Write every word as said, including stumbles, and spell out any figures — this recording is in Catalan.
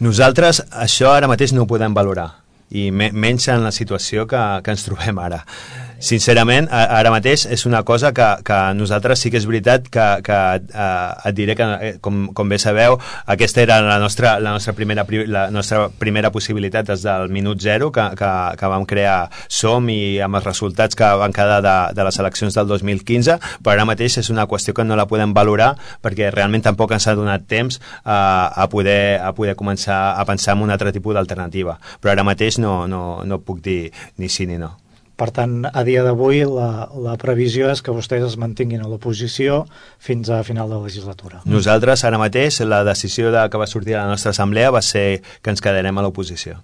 Nosaltres això ara mateix no ho podem valorar, i me menys en la situació que, que ens trobem ara. Sincerament, ara mateix és una cosa que, que nosaltres sí que és veritat que, que eh, et diré que, com, com bé sabeu, aquesta era la nostra, la nostra, primera, la nostra primera possibilitat des del minut zero que, que, que vam crear Som, i amb els resultats que van quedar de, de les eleccions del dos mil quinze, però ara mateix és una qüestió que no la podem valorar perquè realment tampoc ens ha donat temps eh, a, poder, a poder començar a pensar en un altre tipus d'alternativa, però ara mateix no, no, no puc dir ni sí ni no. Per tant, a dia d'avui la, la previsió és que vostès es mantinguin a l'oposició fins a final de legislatura. Nosaltres ara mateix la decisió de, que va sortir a la nostra assemblea va ser que ens quedarem a l'oposició.